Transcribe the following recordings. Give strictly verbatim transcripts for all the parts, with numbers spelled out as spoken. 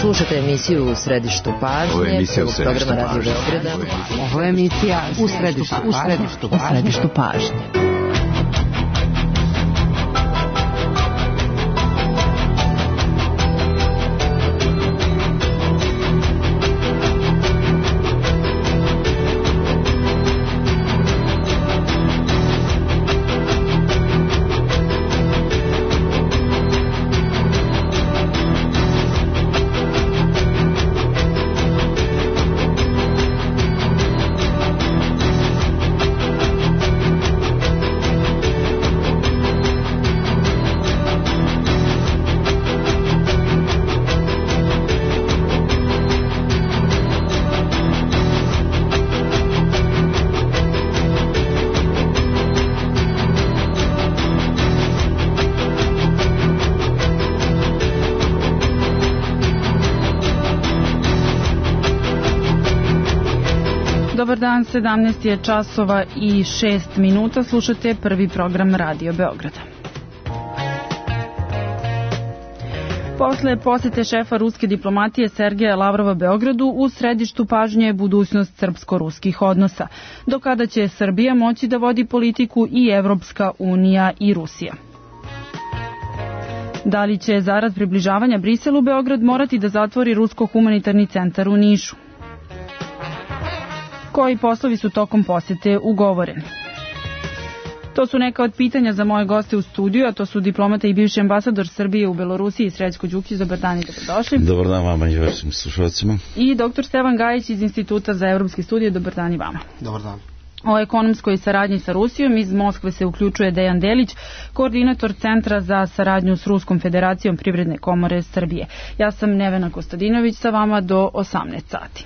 Slušajte emisiju U središtu pažnje, prvog programa Radio Beograda. Ovo je emisija U središtu, u središtu, u središtu pažnje. Dobar dan, sedamnaest je časova i šest minuta. Slušate prvi program Radio Beograda. Posle posete šefa ruske diplomatije Sergeja Lavrova Beogradu, u središtu pažnje je budućnost srpsko-ruskih odnosa. Do kada će Srbija moći da vodi politiku i Evropska unija i Rusija? Da li će zarad približavanja Briselu Beograd morati da zatvori rusko-humanitarni centar u Nišu? Koji poslovi su tokom posete ugovoreni? To su neka od pitanja za moje goste u studiju, a to su diplomata i bivši ambasador Srbije u Belorusiji Srećko Đukić. Dobar dan i dobrodošli. Dobar dan vama i vašim slušalcima. I doktor Stevan Gajić iz Instituta za evropske studije. Dobar dan i vama. Dobar dan. O ekonomskoj saradnji sa Rusijom iz Moskve se uključuje Dejan Delić, koordinator Centra za saradnju s Ruskom federacijom Privredne komore Srbije. Ja sam Nevena Kostadinović, sa vama do osamnaest sati.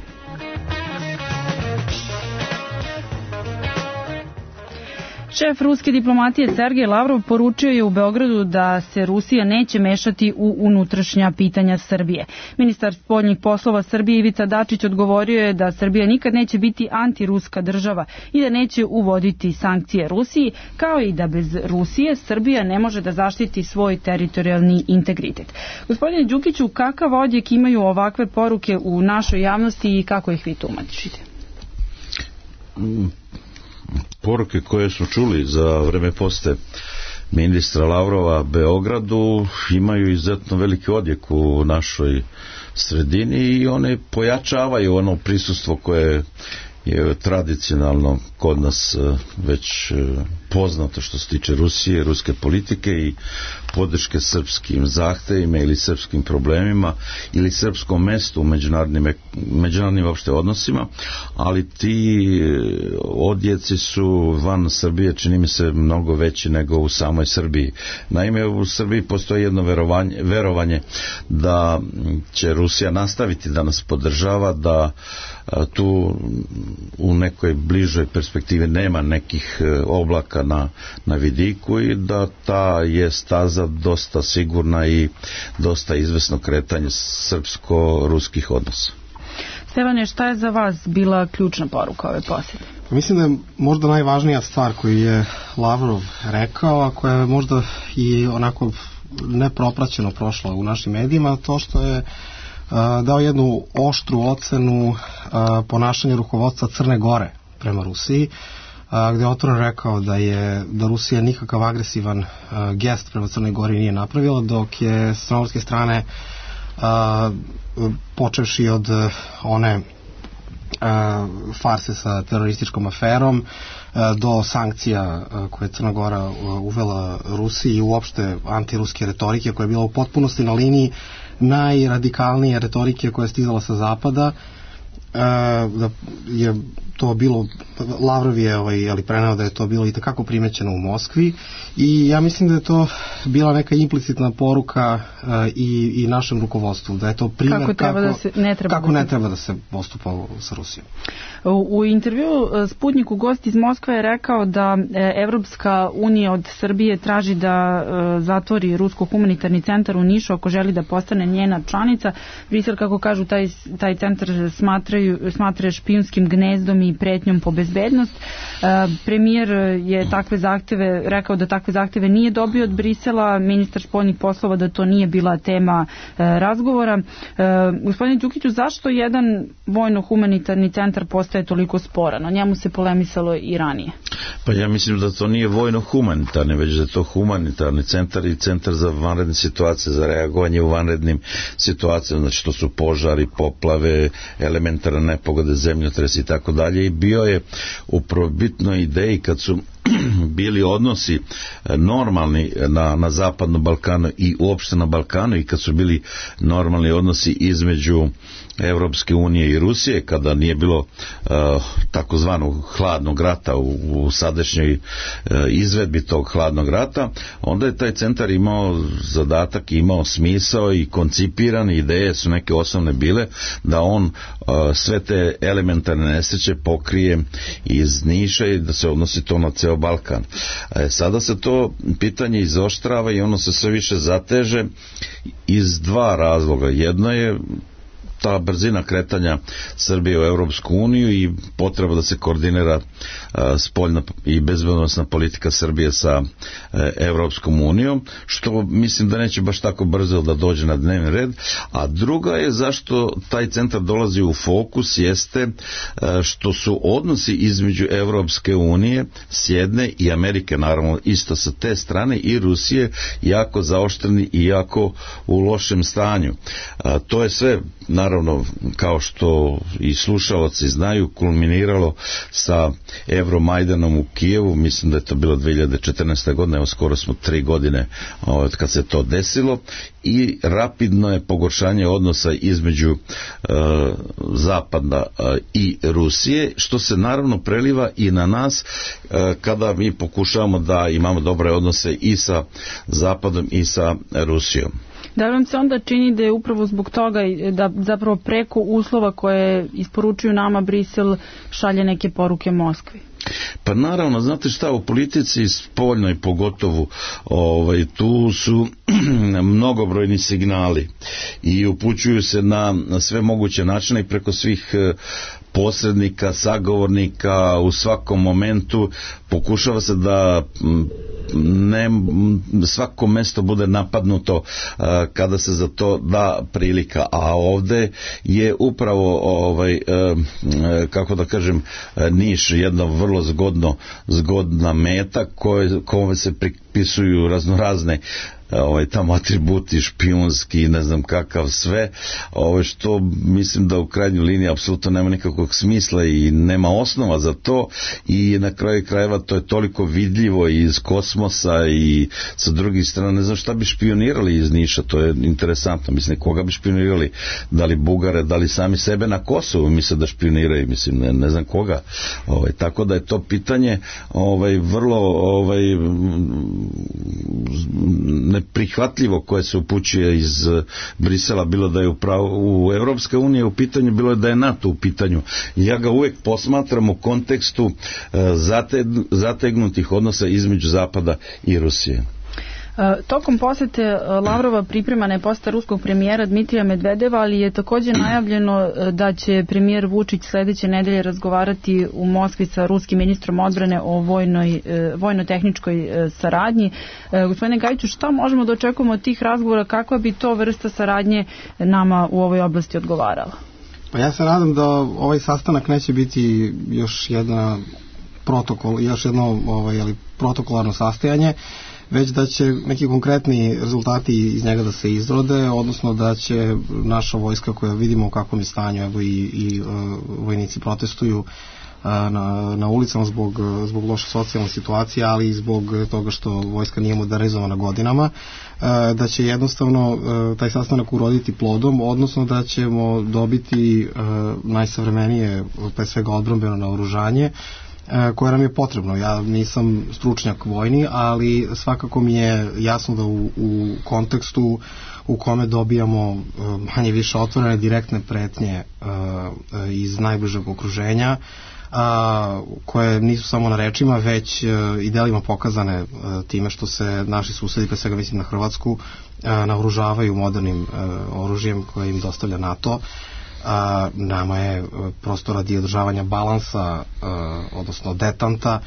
Šef ruske diplomatije Sergej Lavrov poručio je u Beogradu da se Rusija neće mešati u unutrašnja pitanja Srbije. Ministar spoljnih poslova Srbije Ivica Dačić odgovorio je da Srbija nikad neće biti antiruska država i da neće uvoditi sankcije Rusiji, kao i da bez Rusije Srbija ne može da zaštiti svoj teritorijalni integritet. Gospodine Đukiću, kakav odjek imaju ovakve poruke u našoj javnosti i kako ih vi tumačite? Mm. Poruke koje smo čuli za vreme posete ministra Lavrova Beogradu imaju izuzetno veliki odjek u našoj sredini i one pojačavaju ono prisustvo koje je tradicionalno kod nas već poznato što se tiče Rusije, ruske politike i podrške srpskim zahtevima ili srpskim problemima ili srpskom mestu u međunarodnim, međunarodnim opšte odnosima, ali ti odjeci su van Srbije, čini mi se, mnogo veći nego u samoj Srbiji. Naime, u Srbiji postoji jedno verovanje, verovanje da će Rusija nastaviti da nas podržava, da tu u nekoj bližoj perspektivi nema nekih oblaka na, na vidiku i da ta je staza dosta sigurna i dosta izvesno kretanje srpsko-ruskih odnosa. Stevane, šta je za vas bila ključna poruka ove posete? Mislim da je možda najvažnija stvar koju je Lavrov rekao, a koja je možda i onako nepropraćeno prošla u našim medijima, to što je dao jednu oštru ocenu ponašanja rukovodstva Crne Gore prema Rusiji, gde je otvoreno rekao da je da Rusija nikakav agresivan gest prema Crnoj Gori nije napravila, dok je s crnogorske strane počevši od one farse sa terorističkom aferom do sankcija koje je Crna Gora uvela Rusiji i uopšte antiruske retorike koja je bila u potpunosti na liniji najradikalnije retorike koja je stizala sa zapada, da je to bilo, Lavrov je ovaj, ali preneo da je to bilo i takako primećeno u Moskvi i ja mislim da je to bila neka implicitna poruka uh, i, i našem rukovodstvu, da je to primjer kako, kako, da se, ne, treba kako da se... ne treba da se postupa sa Rusijom. U, u intervju Sputniku gost iz Moskve je rekao da Evropska unija od Srbije traži da uh, zatvori rusko-humanitarni centar u Nišu ako želi da postane njena članica. Brisel, kako kažu, taj, taj centar smatraju, smatra špijunskim gnezdom i pretnjom po bezbednost. Uh, premijer je takve zahteve, rekao da takve zahteve nije dobio od Brisela. izjavila ministar spoljnih poslova da to nije bila tema razgovora. Gospodine Đukiću, zašto jedan vojno-humanitarni centar postaje toliko sporan? O njemu se polemisalo i ranije. Pa ja mislim da to nije vojno-humanitarni, već da je to humanitarni centar i centar za vanredne situacije, za reagovanje u vanrednim situacijama, znači to su požari, poplave, elementarne nepogode, zemljotresi i tako dalje. I bio je u prvobitnoj ideji kad su bili odnosi normalni na, na zapadnom Balkanu i uopšte na Balkanu i kad su bili normalni odnosi između Evropske unije i Rusije, kada nije bilo uh, takozvanog hladnog rata u, u sadašnjoj uh, izvedbi tog hladnog rata, onda je taj centar imao zadatak, imao smisao i koncipiran, ideje su neke osnovne bile da on uh, sve te elementarne nesreće pokrije iz Niša i da se odnosi to na ceo Balkan. E, sada se to pitanje izoštrava i ono se sve više zateže iz dva razloga. Jedno je ta brzina kretanja Srbije u Evropsku uniju i potreba da se koordinira uh, spoljna i bezbednosna politika Srbije sa uh, Evropskom unijom, što mislim da neće baš tako brzo da dođe na dnevni red. A druga je zašto taj centar dolazi u fokus jeste uh, što su odnosi između Evropske unije s jedne i Amerike, naravno isto sa te strane, i Rusije jako zaoštreni i jako u lošem stanju. Uh, to je sve naravno Naravno, kao što i slušalci znaju, kulminiralo sa Euromajdanom u Kijevu, mislim da je to bilo dve hiljade četrnaeste. godine, evo skoro smo tri godine od kad se to desilo, i rapidno je pogoršanje odnosa između uh, Zapada uh, i Rusije, što se naravno preliva i na nas uh, kada mi pokušavamo da imamo dobre odnose i sa Zapadom i sa Rusijom. Da li vam se onda čini da je upravo zbog toga da zapravo preko uslova koje isporučuju nama Brisel šalje neke poruke Moskvi? Pa naravno, znate šta, u politici spoljnoj pogotovo ovaj, tu su mnogobrojni signali i upućuju se na, na sve moguće načine i preko svih posrednika, sagovornika, u svakom momentu pokušava se da ne, svako mesto bude napadnuto uh, kada se za to da prilika, a ovde je upravo ovaj, uh, kako da kažem, Niš jedno vrlo zgodno, zgodna meta koje, kome se pripisuju raznorazne ovaj tamo atributi špijunski, ne znam kakav sve, ovaj što mislim da u krajnjoj liniji apsolutno nema nikakvog smisla i nema osnova za to, i na kraju krajeva to je toliko vidljivo i iz kosmosa i sa drugih strana, ne znam šta bi špionirali iz Niša, to je interesantno, mislim, koga bi špionirali, da li Bugare, da li sami sebe na Kosovu misle da špioniraju, mislim, ne, ne znam koga, ovaj, tako da je to pitanje ovaj, vrlo ovaj, ne prihvatljivo koje se upućuje iz Brisela, bilo da je upravo u Evropska unija u pitanju, bilo je da je NATO u pitanju. Ja ga uvek posmatram u kontekstu zategnutih odnosa između Zapada i Rusije. Tokom posete Lavrova pripremana je poseta ruskog premijera Dmitrija Medvedeva, ali je također najavljeno da će premijer Vučić sledeće nedelje razgovarati u Moskvi sa ruskim ministrom odbrane o vojnoj, vojno-tehničkoj saradnji. Gospodine Gajiću, šta možemo da očekujemo od tih razgovora, kakva bi to vrsta saradnje nama u ovoj oblasti odgovarala? Pa ja se nadam da ovaj sastanak neće biti još jedna protokol, još jedno ovaj, ali protokolarno sastajanje, već da će neki konkretni rezultati iz njega da se izrode, odnosno da će naša vojska, koja vidimo u kakvom je stanju, evo i, i uh, vojnici protestuju uh, na, na ulicama zbog, zbog loše socijalne situacije, ali i zbog toga što vojska nije modernizovana godinama, uh, da će jednostavno uh, taj sastanak uroditi plodom, odnosno da ćemo dobiti uh, najsavremenije, pre svega odbrambeno naoružanje, koje nam je potrebno. Ja nisam stručnjak vojni, ali svakako mi je jasno da u, u kontekstu u kome dobijamo manje više otvorene direktne pretnje uh, iz najbližeg okruženja, uh, koje nisu samo na rečima, već uh, i delima pokazane uh, time što se naši susedi, pre svega mislim na Hrvatsku, uh, naoružavaju modernim uh, oružjem koje im dostavlja NATO. A, nama je prosto radi održavanja balansa, a, odnosno detanta,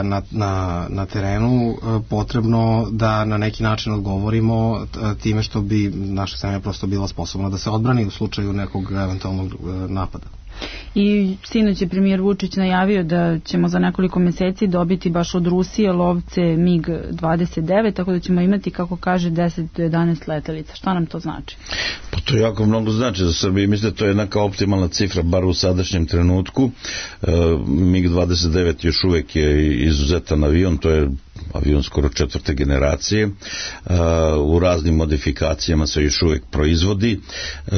na, na, na terenu potrebno da na neki način odgovorimo time što bi naša zemlja prosto bila sposobna da se odbrani u slučaju nekog eventualnog napada. I sinoć je premijer Vučić najavio da ćemo za nekoliko meseci dobiti baš od Rusije lovce mig dvadeset devet, tako da ćemo imati, kako kaže, deset do jedanaest letelica. Šta nam to znači? Pa to jako mnogo znači za Srbiju. Mislim da to je neka optimalna cifra, bar u sadašnjem trenutku. E, mig dvadeset devet još uvek je izuzetan avion, to je avion skoro četvrte generacije, e, u raznim modifikacijama se još uvek proizvodi. E,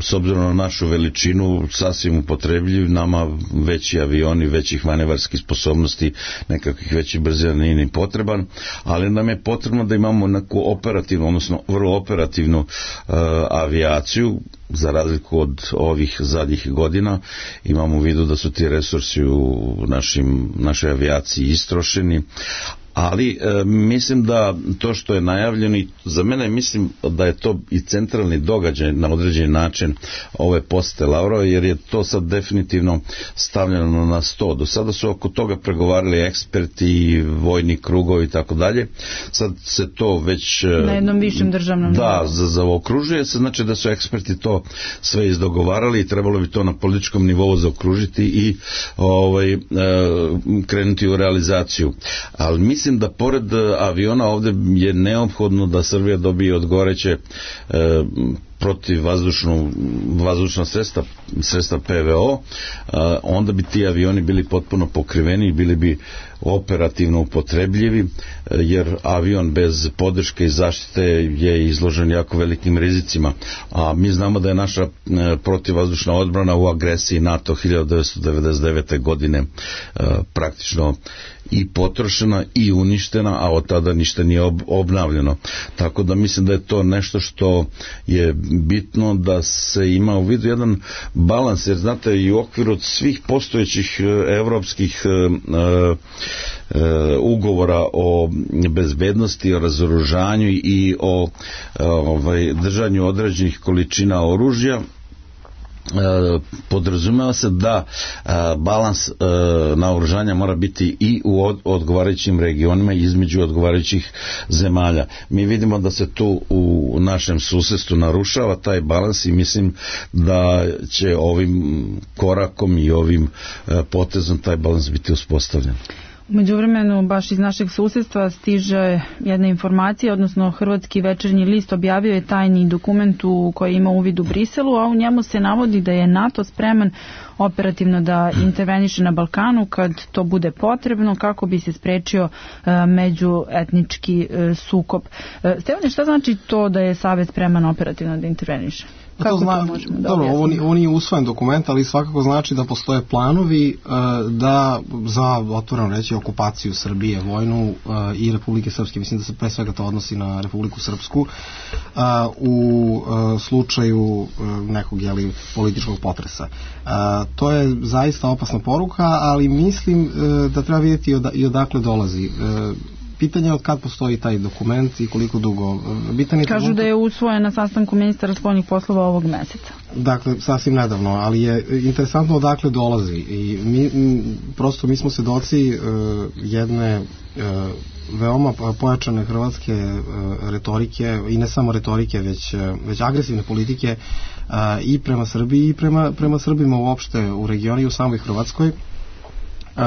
s obzirom na našu veličinu, sasvim upotrebljiv, nama veći avioni, većih manevarskih sposobnosti, nekakvih većih brzina nije ni potreban, ali nam je potrebno da imamo neku operativnu, odnosno vrlo operativnu e, avijaciju, za razliku od ovih zadnjih godina. Imamo u vidu da su ti resursi u našim, našoj avijaciji istrošeni, ali e, mislim da to što je najavljeno, i za mene mislim da je to i centralni događaj na određeni način ove posete Lavrova, jer je to sad definitivno stavljeno na sto. Do sada su oko toga pregovarali eksperti, vojni krugovi i tako dalje. Sad se to već na jednom višem državnom da, za, zaokružuje se, znači da su eksperti to sve izdogovarali i trebalo bi to na političkom nivou zaokružiti i ovaj, e, krenuti u realizaciju. Ali mislim Mislim da pored aviona ovde je neophodno da Srbija dobije odgovoreće e, protiv vazdušnu, vazdušna sredstva, sredstva P V O, a, onda bi ti avioni bili potpuno pokriveni i bili bi operativno upotrebljivi, jer avion bez podrške i zaštite je izložen jako velikim rizicima, a mi znamo da je naša protivvazdušna odbrana u agresiji NATO hiljadu devetsto devedeset devete godine praktično i potrošena i uništena, a od tada ništa nije ob, obnavljeno. Tako da mislim da je to nešto što je bitno da se ima u vidu jedan balans, jer znate, i u okviru svih postojećih evropskih e, e, ugovora o bezbednosti, o razoružanju i o e, ovaj, držanju određenih količina oružja, podrazumeva se da balans naoružanja mora biti i u odgovarajućim regionima između odgovarajućih zemalja. Mi vidimo da se tu u našem susedstvu narušava taj balans i mislim da će ovim korakom i ovim potezom taj balans biti uspostavljen. U međuvremenu, baš iz našeg susedstva stiže jedna informacija, odnosno Hrvatski večernji list objavio je tajni dokument u koji ima uvid u Briselu, a u njemu se navodi da je NATO spreman operativno da interveniše na Balkanu kad to bude potrebno, kako bi se sprečio e, međuetnički e, sukob. E, Stevane, šta znači to da je Savez spreman operativno da interveniše? Kako to, zna, to možemo da dobro, ovo, ovo nije usvojen dokument, ali svakako znači da postoje planovi uh, da za, otvoreno reći, okupaciju Srbije, vojnu uh, i Republike Srpske. Mislim da se pre svega to odnosi na Republiku Srpsku uh, u uh, slučaju uh, nekog, jeli, političkog potresa. Uh, to je zaista opasna poruka, ali mislim uh, da treba vidjeti od, i odakle dolazi. Uh, Pitanje je od kad postoji taj dokument i koliko dugo. Bitan je Kažu trenutak... da je usvojen na sastanku ministara spoljnih poslova ovog meseca. Dakle, sasvim nedavno, ali je interesantno odakle dolazi. I mi, prosto mi smo svedoci uh, jedne uh, veoma pojačane hrvatske uh, retorike, i ne samo retorike, već, uh, već agresivne politike uh, i prema Srbiji i prema, prema Srbima uopšte u regionu i u samoj Hrvatskoj. Uh,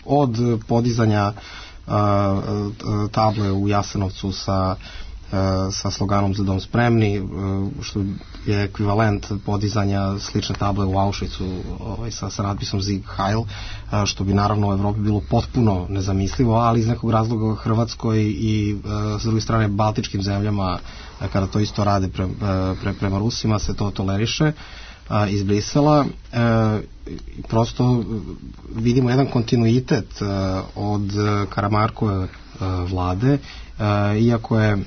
od podizanja table u Jasenovcu sa, sa sloganom Za dom spremni, što je ekvivalent podizanja slične table u Auschwitzu ovaj, sa, sa natpisom Sieg Heil, što bi naravno u Evropi bilo potpuno nezamislivo, ali iz nekog razloga u Hrvatskoj i s druge strane baltičkim zemljama, kada to isto rade pre, pre, prema Rusima, se to toleriše iz Brisela. E, prosto vidimo jedan kontinuitet e, od Karamarkove e, vlade, e, iako je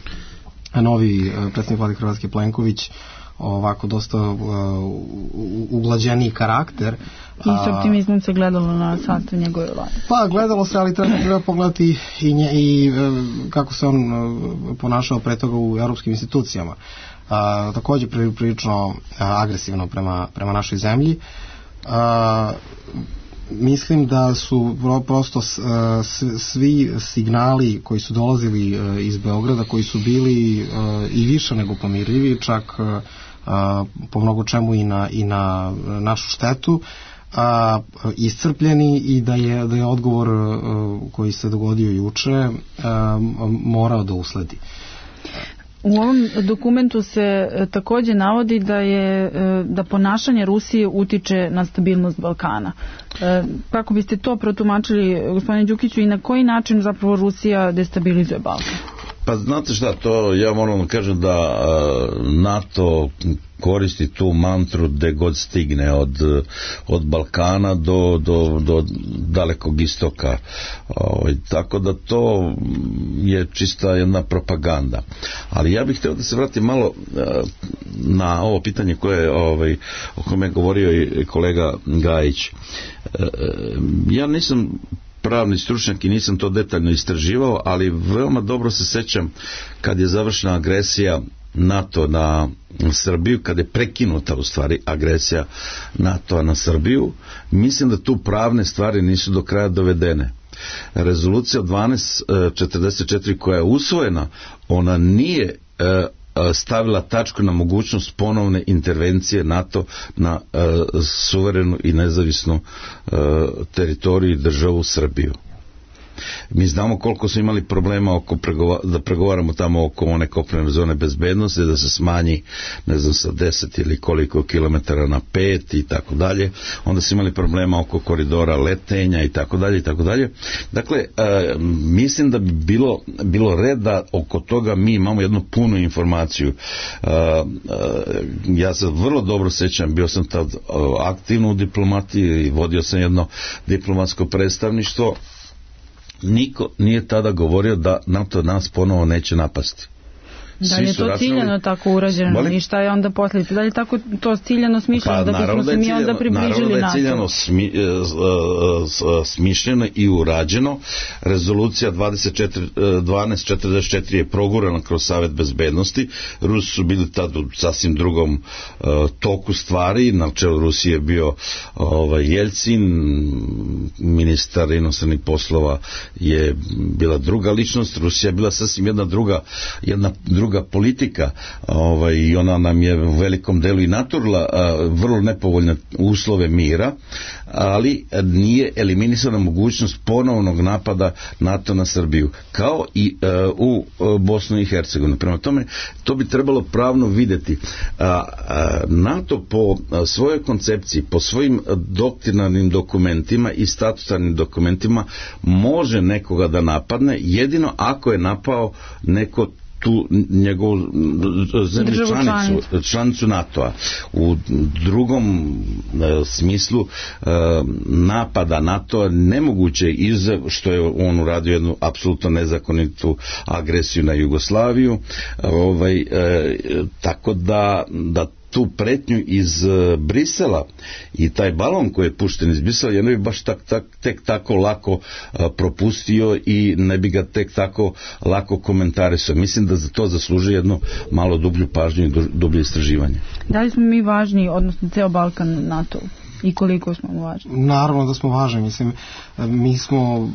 novi predsjednik vlade Hrvatske Plenković ovako dosta uh, uglađeniji karakter. I s optimizmom se gledalo na sastav njegove vlade. Pa, gledalo se, ali treba, treba pogledati i, nje, i uh, kako se on uh, ponašao pre toga u europskim institucijama. Uh, također prilično uh, agresivno prema, prema našoj zemlji. Uh, mislim da su prosto svi signali koji su dolazili iz Beograda, koji su bili i više nego pomirljivi, čak po mnogo čemu i na, i na našu štetu, a, iscrpljeni i da je, da je odgovor koji se dogodio juče morao da usledi. U ovom dokumentu se takođe navodi da je da ponašanje Rusije utiče na stabilnost Balkana. Kako biste to protumačili, gospodine Đukiću, i na koji način zapravo Rusija destabilizuje Balkan? Pa znate šta, to ja moram da kažem da NATO koristi tu mantru gde god stigne od, od Balkana do, do, do dalekog istoka. O, tako da to je čista jedna propaganda. Ali ja bih htio da se vratim malo na ovo pitanje koje, ovaj, o kome je govorio i kolega Gajić. Ja nisam pravni stručnjak i nisam to detaljno istraživao, ali veoma dobro se sećam kad je završena agresija NATO na Srbiju, kad je prekinuta u stvari agresija NATO na Srbiju. Mislim da tu pravne stvari nisu do kraja dovedene. Rezolucija dvanaest četrdeset četiri koja je usvojena, ona nije stavila tačku na mogućnost ponovne intervencije NATO na uh, suverenu i nezavisnu uh, teritoriju i državu Srbiju. Mi znamo koliko smo imali problema oko pregova, da pregovaramo tamo oko one kopnene zone bezbednosti, da se smanji, ne znam, sa deset ili koliko kilometara na pet i tako dalje. Onda smo imali problema oko koridora letenja i tako dalje i tako dalje. Dakle, e, mislim da bi bilo, bilo red da oko toga mi imamo jednu punu informaciju. E, e, ja se vrlo dobro sećam, bio sam tad aktivno u diplomatiji i vodio sam jedno diplomatsko predstavništvo. Niko nije tada govorio da NATO nas ponovo neće napasti. Da li je to ciljano tako urađeno? Molim? I šta je onda posljedica? Da li je tako to ciljano smišljeno? Pa, da bismo se mi onda približili NATO? Naravno da je ciljano smi, smišljeno i urađeno. Rezolucija dvanaest četrdeset četiri je progurana kroz Savet bezbednosti. Rusi su bili tad u sasvim drugom uh, toku stvari. Na čelu Rusije je bio ovaj, Jeljcin, ministar inostranih poslova je bila druga ličnost. Rusija je bila sasvim jedna druga, jedna druga politika, ovaj, i ona nam je u velikom delu i naturila a, vrlo nepovoljne uslove mira, ali nije eliminisana mogućnost ponovnog napada NATO na Srbiju, kao i a, u a, Bosnu i Hercegovinu. Prema tome, to bi trebalo pravno videti. A, a, NATO po a, svojoj koncepciji, po svojim doktrinarnim dokumentima i statutarnim dokumentima može nekoga da napadne, jedino ako je napao neko tu njegovu zemlju članicu, članicu NATO-a. U drugom e, smislu e, napada NATO-a nemoguće je izuzev što je on uradio jednu apsolutno nezakonitu agresiju na Jugoslaviju. Ovaj, e, tako da, da tu pretnju iz uh, Brisela i taj balon koji je pušten iz Brisela, ja ne bi baš tak, tak, tek tako lako uh, propustio i ne bi ga tek tako lako komentarisao. Mislim da za to zaslužuje jedno malo dublju pažnju i dublje istraživanje. Da li smo mi važni, odnosno ceo Balkan NATO? I koliko smo važni? Naravno da smo važni. Mislim, mi smo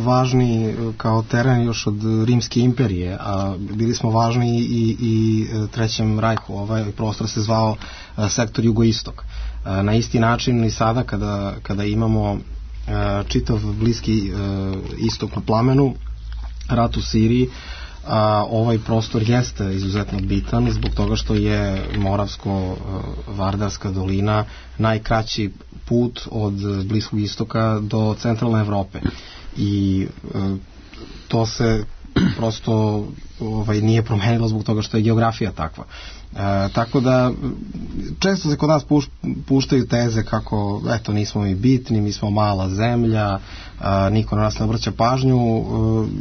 važni kao teren još od Rimske imperije, a bili smo važni i, i Trećem rajhu. Ovaj prostor se zvao sektor jugoistok. Na isti način i sada kada, kada imamo čitav Bliski istok na plamenu, rat u Siriji, a ovaj prostor jeste izuzetno bitan zbog toga što je Moravsko-Vardarska dolina najkraći put od Bliskog istoka do centralne Evrope i e, to se prosto ovaj, nije promenilo zbog toga što je geografija takva. E, tako da često se kod nas puš, puštaju teze kako eto nismo mi bitni, mi smo mala zemlja, a, niko na nas ne obraća pažnju. E,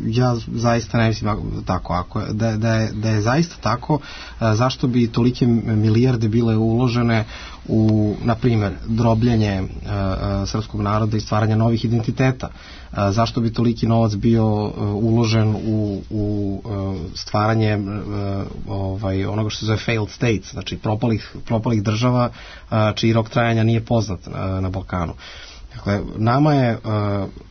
ja zaista ne mislim tako. Ako, da, da, je, da je zaista tako, a, zašto bi tolike milijarde bile uložene u, na primjer, drobljenje a, a, srpskog naroda i stvaranje novih identiteta? A, zašto bi toliki novac bio a, uložen u, u a, stvaranje a, ovaj, onoga što se zove failed states, znači propalih, propalih država a, čiji rok trajanja nije poznat a, na Balkanu? Dakle, nama je uh,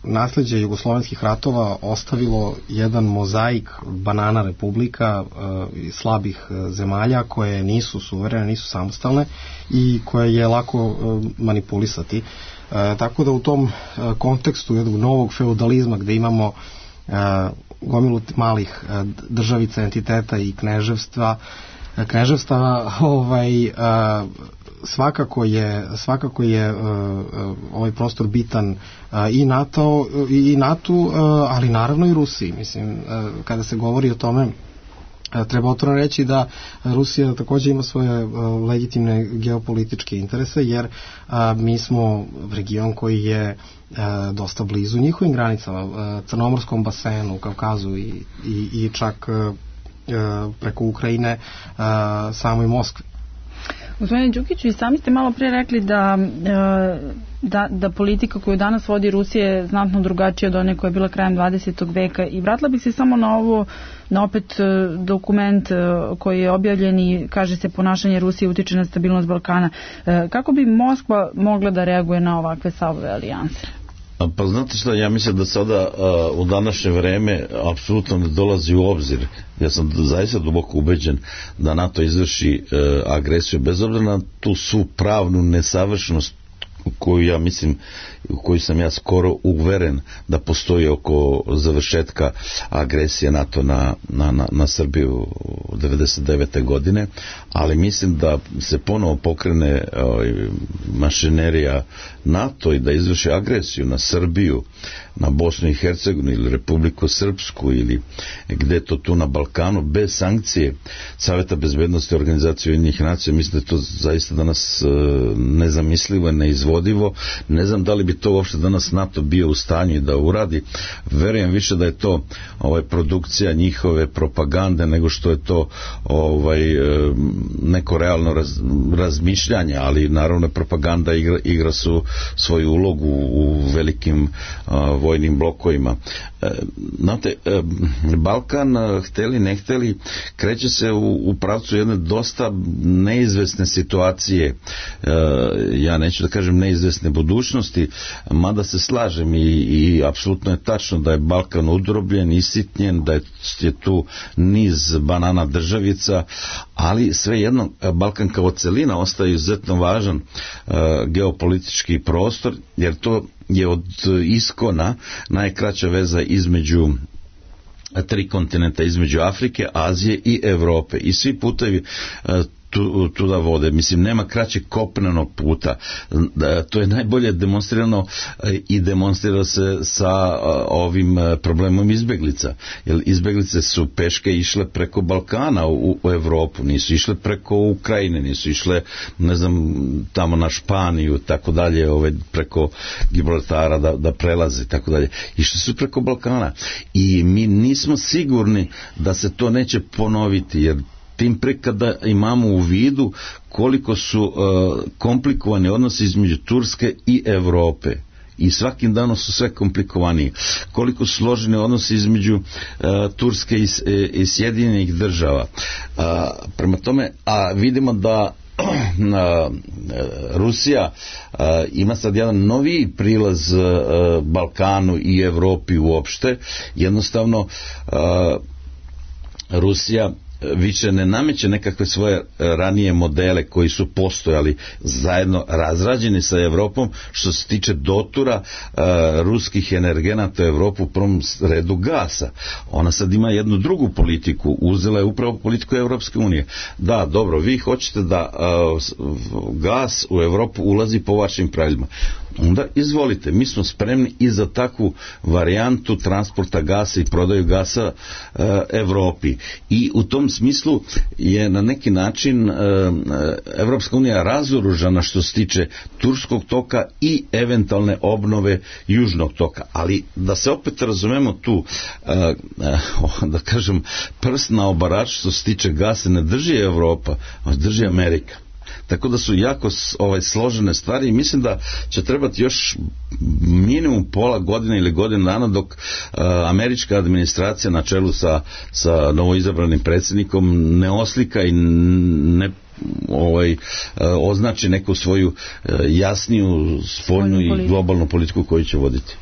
nasleđe jugoslovenskih ratova ostavilo jedan mozaik banana republika uh, slabih uh, zemalja koje nisu suverene, nisu samostalne i koje je lako uh, manipulisati. Uh, tako da u tom uh, kontekstu jednog novog feudalizma gde imamo uh, gomilu malih uh, državica, entiteta i kneževstva, uh, kneževstava, ovaj, uh, svakako je svakako je uh, ovaj prostor bitan uh, i NATO i NATO, uh, ali naravno i Rusiji. Mislim, uh, kada se govori o tome, uh, treba otvoreno reći da Rusija takođe ima svoje uh, legitimne geopolitičke interese, jer uh, mi smo region koji je uh, dosta blizu njihovim granicama, uh, Crnomorskom basenu, Kavkazu i, i, i čak uh, preko Ukrajine uh, samoj Moskvi. Gospodine Đukiću, i sami ste malo pre rekli da, da, da politika koju danas vodi Rusija je znatno drugačija od one koja je bila krajem dvadesetog veka, i vratila bih se samo na ovo, na opet dokument koji je objavljen i kaže se ponašanje Rusije utiče na stabilnost Balkana. Kako bi Moskva mogla da reaguje na ovakve stavove alijanse? Pa znate šta, ja mislim da sada uh, u današnje vreme apsolutno ne dolazi u obzir. Ja sam zaista duboko ubeđen da NATO izvrši uh, agresiju, bez obzira na tu svu pravnu nesavršenost koju ja mislim, u koju sam ja skoro uveren da postoji oko završetka agresije NATO na, na, na, na Srbiju devedeset devete godine, ali mislim da se ponovo pokrene ovaj, mašinerija NATO i da izvrši agresiju na Srbiju, na Bosnu i Hercegovinu ili Republiku Srpsku ili gde to tu na Balkanu, bez sankcije Saveta bezbednosti Organizacije Ujedinjenih nacija. Mislim da je to zaista danas e, nezamislivo, neizvodivo. Ne znam da li bi to uopšte danas NATO bio u stanju da uradi. Verujem više da je to ovaj, produkcija njihove propagande nego što je to ovaj, e, neko realno raz, razmišljanje, ali naravno propaganda igra, igra su svoju ulogu u velikim a, vojnim blokovima. E, znate, e, Balkan, hteli ne hteli, kreće se u, u pravcu jedne dosta neizvesne situacije, e, ja neću da kažem neizvesne budućnosti, mada se slažem i, i apsolutno je tačno da je Balkan udrobljen, isitnjen, da je, je tu niz banana državica, ali svejedno Balkan kao celina ostaje izuzetno važan e, geopolitički prostor, jer to je od iskona najkraća veza između tri kontinenta, između Afrike, Azije i Evrope, i svi putevi tu, tu da vode. Mislim, nema kraćeg kopnenog puta. To je najbolje demonstrirano i demonstrira se sa ovim problemom izbeglica. Jer izbeglice su peške išle preko Balkana u, u Evropu, nisu išle preko Ukrajine, nisu išle, ne znam, tamo na Španiju, tako dalje, ove, preko Gibraltara da, da prelaze, tako dalje. Išli su preko Balkana. I mi nismo sigurni da se to neće ponoviti, jer tim pre kada imamo u vidu koliko su uh, komplikovani odnosi između Turske i Evrope, i svakim danom su sve komplikovaniji, koliko su složeni odnosi između uh, Turske i, i Sjedinjenih država. Uh, prema tome, a vidimo da uh, Rusija uh, ima sad jedan noviji prilaz uh, Balkanu i Evropi uopšte. Jednostavno uh, Rusija više ne nameće nekakve svoje ranije modele koji su postojali zajedno razrađeni sa Evropom što se tiče dotura uh, ruskih energenata u Evropu, u prvom redu gasa. Ona sad ima jednu drugu politiku, uzela je upravo politiku Evropske unije. Da, dobro, vi hoćete da uh, gas u Evropu ulazi po vašim pravilima. Onda izvolite, mi smo spremni i za takvu varijantu transporta gasa i prodaju gasa uh, Evropi. I u tom smislu je na neki način uh, Evropska unija razoružana što se tiče Turskog toka i eventualne obnove Južnog toka. Ali da se opet razumemo tu, uh, uh, da kažem, prst na obarač što se tiče gasa ne drži Evropa, drži Amerika. Tako da su jako ovaj, složene stvari i mislim da će trebati još minimum pola godine ili godinu dana dok uh, američka administracija na čelu sa, sa novoizabranim predsjednikom ne oslika i ne ovaj, označi neku svoju jasniju spoljnu i globalnu politiku koju će voditi.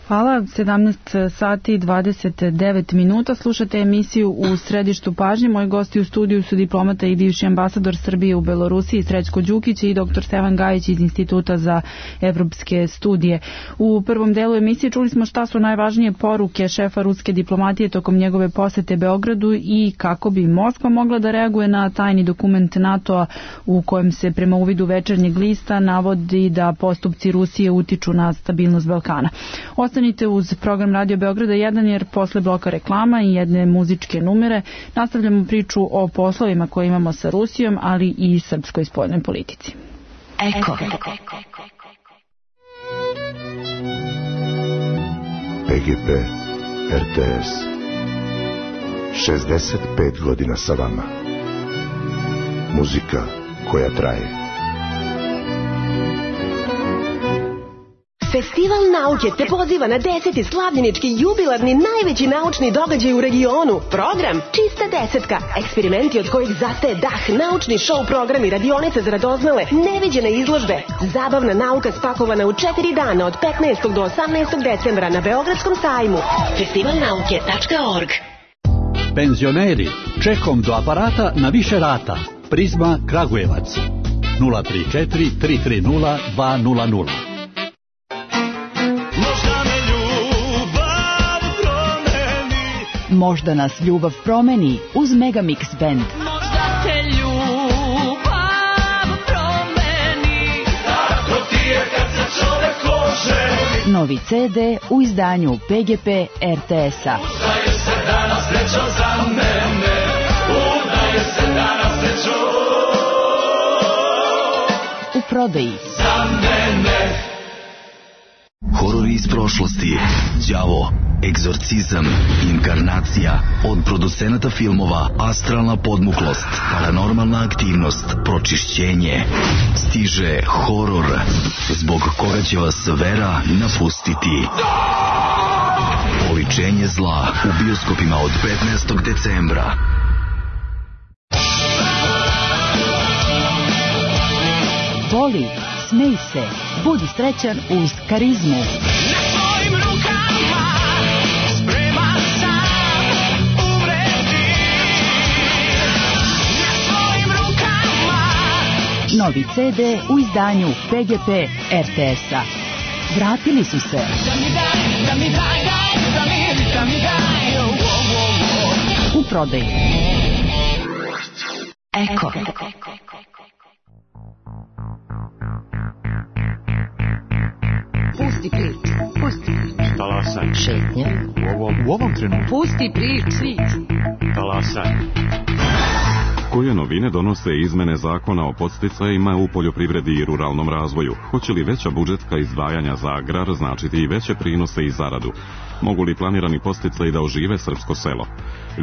Hvala, sedamnaest sati i dvadeset devet minuta. Slušate emisiju U središtu pažnje. Moji gosti u studiju su diplomata i bivši ambasador Srbije u Belorusiji Srećko Đukić i doktor Stevan Gajić iz Instituta za evropske studije. U prvom delu emisije čuli smo šta su najvažnije poruke šefa ruske diplomatije tokom njegove posete Beogradu i kako bi Moskva mogla da reaguje na tajni dokument NATO-a u kojem se prema uvidu Večernjeg lista navodi da postupci Rusije utiču na stabilnost Balkana. Ostanite uz program Radio Beograda jedan jer posle bloka reklama i jedne muzičke numere nastavljamo priču o poslovima koje imamo sa Rusijom, ali i srpskoj spoljnoj politici. Eko. P G P R T S šezdeset pet godina sa vama. Muzika koja traje. Festival nauke te poziva na deseti slavljenički jubilarni najveći naučni događaj u regionu. Program Čista desetka. Eksperimenti od kojih zastaje dah, naučni show programi, radionice za radoznale, neviđene izložbe. Zabavna nauka spakovana u četiri dana od petnaestog do osamnaestog decembra na Beogradskom sajmu. festival nauke tačka org. Penzioneri, čekom do aparata na više rata. Prizma Kragujevac. nula tri četiri tri tri nula dva nula nula. Možda nas ljubav promeni uz Megamix Band. Možda te ljubav promeni, tako ti je kad se čovek oženi. Novi ce de u izdanju P G P R T S-a. Udaje se danas srećo za mene, udaje se danas srećo u prodaji. Za mene. Horori iz prošlosti, đavo, egzorcizam, inkarnacija, od producenata filmova Astralna podmuklost, Paranormalna aktivnost, Pročišćenje, stiže horor, zbog koga će vas vera napustiti. Oličenje zla u bioskopima od petnaestog decembra. Voli, smej se, budi srećan uz karizmu. Na svojim rukama spreman sam umreti. Na svojim rukama. Novi ce de u izdanju P G P R T S-a. Vratili su se. Da mi daj, da mi daj, daj, da mi, da mi daj, oh, oh, oh. U prodaji. Eko. Pusti prič, pusti prič. Talasaj. Šetnja. U ovom, u ovom trenutku. Pusti prič, prič. Talasaj. Koje novine donose izmene zakona o podsticajima u poljoprivredi i ruralnom razvoju? Hoće li veća budžetska izdvajanja za agrar značiti i veće prinose i zaradu? Mogu li planirani podsticaji da ožive srpsko selo?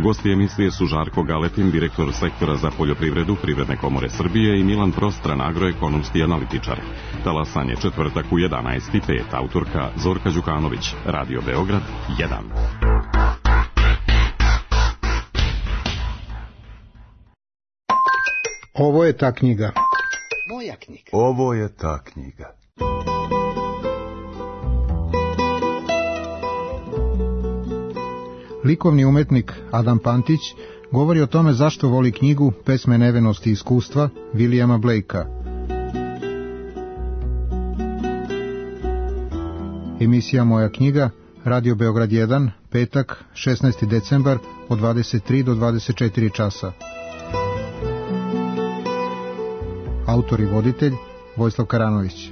Gosti emisije su Žarko Galetin, direktor sektora za poljoprivredu Privredne komore Srbije i Milan Prostran, agroekonomski analitičar. Talasanje četvrtak u jedanaest i pet, autorka Zorka Đukanović, Radio Beograd jedan. Ovo je ta knjiga. Moja knjiga. Ovo je ta knjiga. Likovni umetnik Adam Pantić govori o tome zašto voli knjigu Pesme nevenosti i iskustva Williama Blakea. Emisija Moja knjiga, Radio Beograd jedan, petak, šesnaesti decembar, od dvadeset tri do dvadeset četiri časa. Autor i voditelj Vojislav Karanović.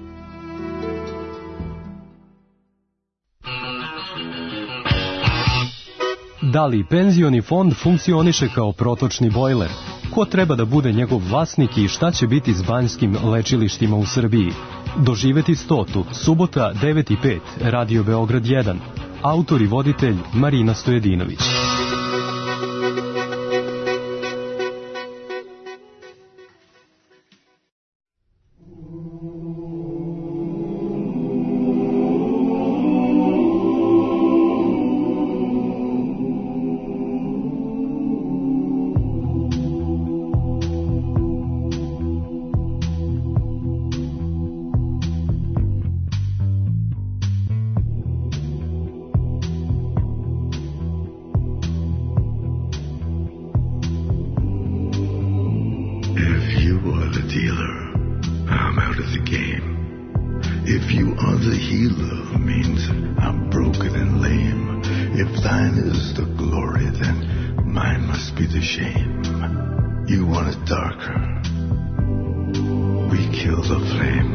Da li penzioni fond funkcioniše kao protočni bojler? Ko treba da bude njegov vlasnik i šta će biti s banjskim lečilištima u Srbiji? Doživeti stotu, subota devet i pet, Radio Beograd jedan. Autor i voditelj Marina Stojedinović. dealer, I'm out of the game. If you are the healer, means I'm broken and lame. If thine is the glory, then mine must be the shame. You want it darker, we kill the flame.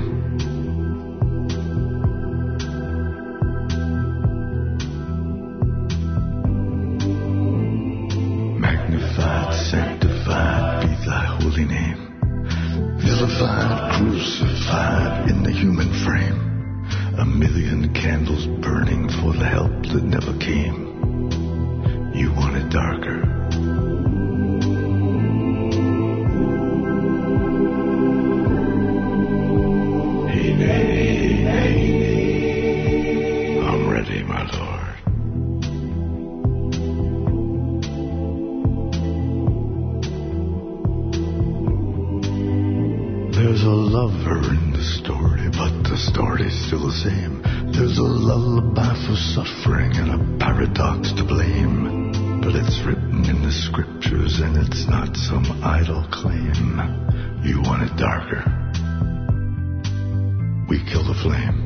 Magnified, sanctified be thy holy name. Vilified, crucified in the human frame. A million candles burning for the help that never came. You want it darker. Hey, hey, hey, hey. I'm ready, my lord. There's a lover in the story, but the story's still the same. There's a lullaby for suffering and a paradox to blame. But it's written in the scriptures and it's not some idle claim. You want it darker, we kill the flame.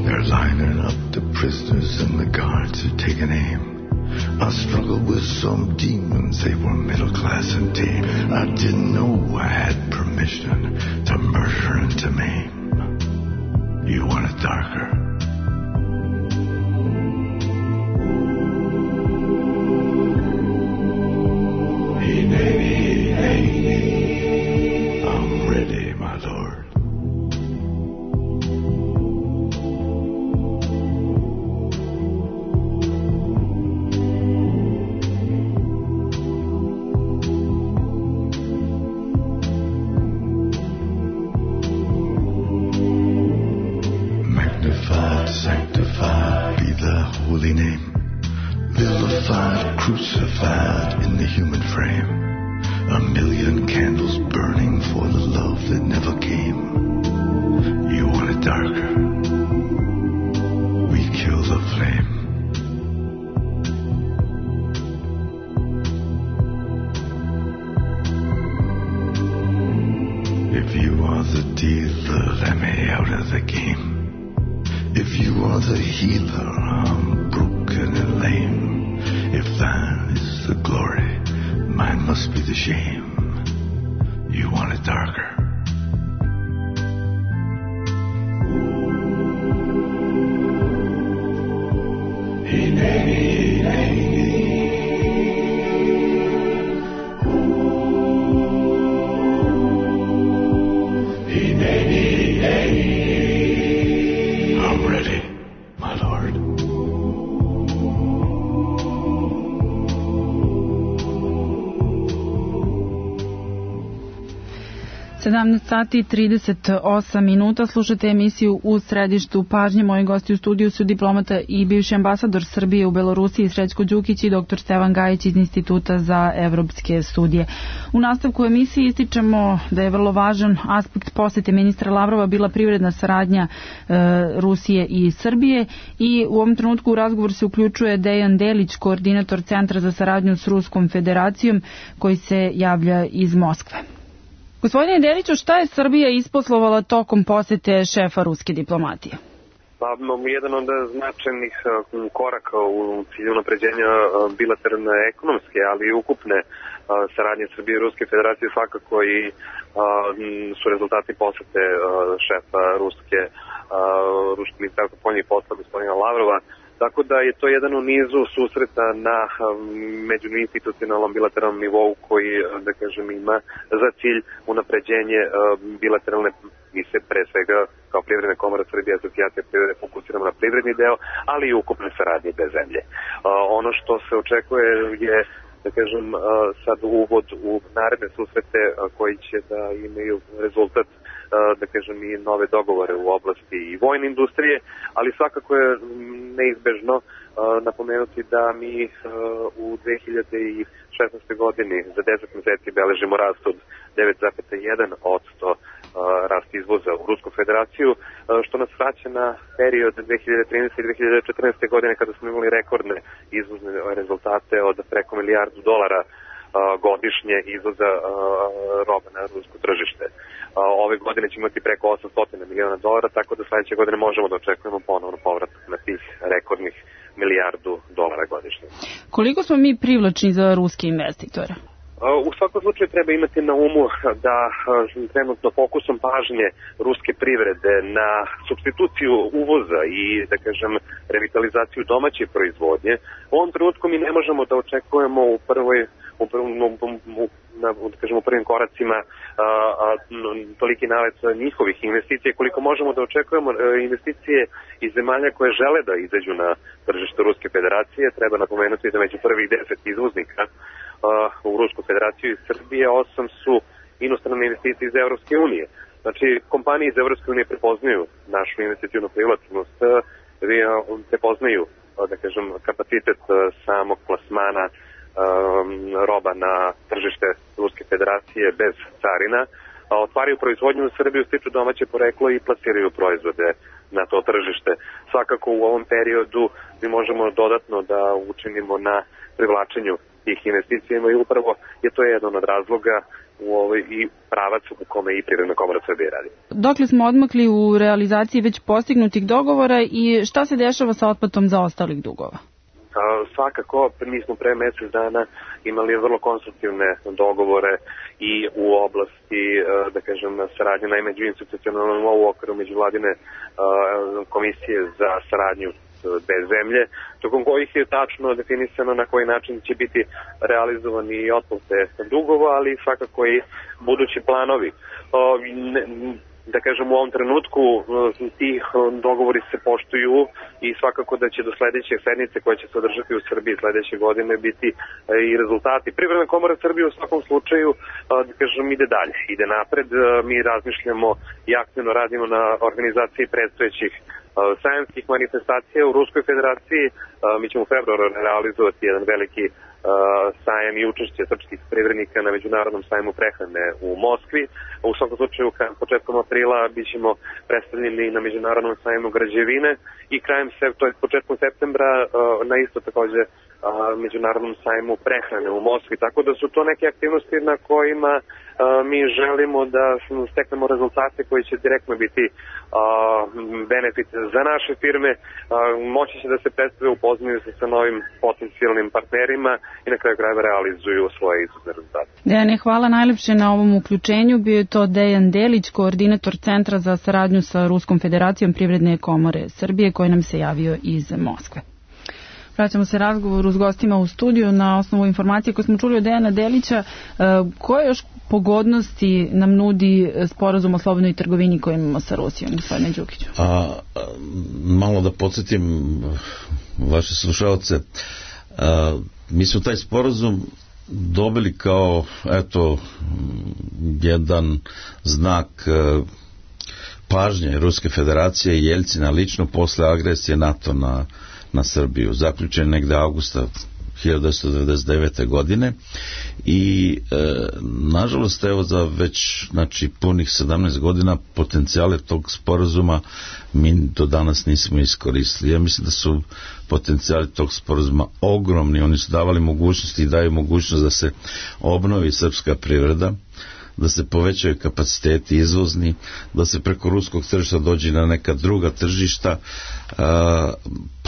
They're lining up the prisoners and the guards are taking aim. I struggled with some demons, they were middle class and tame. I didn't know I had permission to murder and to maim. You want it darker, hey, hey, hey, hey. I'm ready, my lord. Sanctified be thy holy name. Vilified, crucified in the human frame. A million candles burning for the love that never came. You want it darker, we kill the flame. If you are the dealer, let me out of the game. If you are the healer, I'm broken and lame. If thine is the glory, mine must be the shame. You want it darker, hey, hey, hey, hey. Hey, hey, hey, hey. I'm ready, my lord. sedamnaest sati i trideset osam minuta, slušate emisiju U središtu pažnje. Moji gosti u studiju su diplomata i bivši ambasador Srbije u Belorusiji Srećko Đukić i doktor Stevan Gajić iz Instituta za evropske studije. U nastavku emisije ističemo da je vrlo važan aspekt posete ministra Lavrova bila privredna saradnja e, Rusije i Srbije i u ovom trenutku u razgovor se uključuje Dejan Delić, koordinator Centra za saradnju s Ruskom federacijom, koji se javlja iz Moskve. Gospodine Deliću, šta je Srbija isposlovala tokom posete šefa ruske diplomatije? Pa, jedan od značajnih koraka u cilju napređenja bilateralne ekonomske, ali i ukupne saradnje Srbije i Ruske federacije svakako i su rezultati posete šefa Ruske, Ruskog ministarstva spoljnih poslova gospodina Lavrova. Tako da je to jedan u nizu susreta na međuinstitucionalnom bilateralnom nivou koji, da kažem, ima za cilj unapređenje bilateralne, mi se pre svega kao Privredna komora Srbije, asocijacija privrede fokusiramo na privredni deo, ali i ukupne saradnje bez zemlje. Ono što se očekuje je, da kažem, sad uvod u naredne susrete koji će da imaju rezultat, da kažem, i nove dogovore u oblasti i vojne industrije, ali svakako je neizbežno napomenuti da mi u dve hiljade šesnaestoj godini za deset meseci beležimo rast od devet zarez jedan posto rast izvoza u Rusku federaciju, što nas vraća na period dve hiljade trinaeste i dve hiljade četrnaeste. godine kada smo imali rekordne izvozne rezultate od preko milijardu dolara godišnje izvoza roba na rusko tržište. Ove godine ćemo imati preko osamsto miliona dolara, tako da sledeće godine možemo da očekujemo ponovno povratak na tih rekordnih milijardu dolara godišnje. Koliko smo mi privlačni za ruske investitore? U svakom slučaju treba imati na umu da trenutno fokusom pažnje ruske privrede na supstituciju uvoza i, da kažem, revitalizaciju domaće proizvodnje, u ovom trenutku mi ne možemo da očekujemo u prvoj u, prvom, u, na, da kažem, u prvim koracima a, a, toliki nalet njihovih investicija, koliko možemo da očekujemo investicije iz zemalja koje žele da izađu na tržište Ruske federacije. Treba napomenuti da među prvih deset izvoznika u Rusku federaciju iz Srbije, osam su inostrane investicije iz Evropske unije. Znači, kompanije iz Evropske unije prepoznaju našu investicijnu privlačnost, prepoznaju, da kažem, kapacitet samog plasmana roba na tržište Ruske federacije bez carina, otvaraju proizvodnju u Srbiju, stiču domaće poreklo i plasiraju proizvode na to tržište. Svakako u ovom periodu mi možemo dodatno da učinimo na privlačenju tih investicijama i upravo je to jedan od razloga u ovoj i pravac u kome i Privredna komora Srbije radi. Dokle smo odmakli u realizaciji već postignutih dogovora i šta se dešava sa otplatom zaostalih dugova? Svakako, mi smo pre mesec dana imali vrlo konstruktivne dogovore i u oblasti, da kažem, saradnje na međuinstitucionalnom u okviru međuvladine komisije za saradnju dve zemlje, tokom kojih je tačno definisano na koji način će biti realizovani i otplate dugova, ali svakako i budući planovi. Da kažem, u ovom trenutku ti dogovori se poštuju i svakako da će do sledeće sednice koja će se održati u Srbiji sledeće godine biti i rezultati. Privredna komora Srbije u svakom slučaju, da kažem, ide dalje, ide napred. Mi razmišljamo i aktivno radimo na organizaciji predstojećih sajamskih manifestacija u Ruskoj federaciji. Mi ćemo u februaru realizovati jedan veliki sajam i učešće srpskih privrednika na Međunarodnom sajmu prehrane u Moskvi. U svakom slučaju, početkom aprila bićemo predstavljeni na Međunarodnom sajmu građevine i krajem, to je početkom septembra, na isto takođe Međunarodnom sajmu prehrane u Moskvi. Tako da su to neke aktivnosti na kojima mi želimo da steknemo rezultate koji će direktno biti benefit za naše firme, moći će da se predstave, upoznaju se sa novim potencijalnim partnerima i na kraju krajeva realizuju svoje izvozne rezultate. Dejane, hvala najlepše na ovom uključenju. Bio je to Dejan Delić, koordinator Centra za saradnju sa Ruskom federacijom Privredne komore Srbije, koji nam se javio iz Moskve. Vraćamo se razgovoru s gostima u studiju na osnovu informacije koje smo čuli od Dejana Delića. Koje još pogodnosti nam nudi sporazum o slobodnoj trgovini koji imamo sa Rusijom, gospodine Đukiću? A, malo da podsjetim vaše slušalce, a, mi smo taj sporazum dobili kao, eto, jedan znak a, pažnje Ruske federacije i Jeljcina lično posle agresije NATO na na Srbiju, zaključen negde avgusta hiljadu devetsto devedeset devete. godine i e, nažalost evo za već znači punih sedamnaest godina potencijale tog sporazuma mi do danas nismo iskoristili. Ja mislim da su potencijali tog sporazuma ogromni, oni su davali mogućnosti i daju mogućnost da se obnovi srpska privreda, da se povećaju kapaciteti izvozni, da se preko ruskog tržišta dođe na neka druga tržišta. A,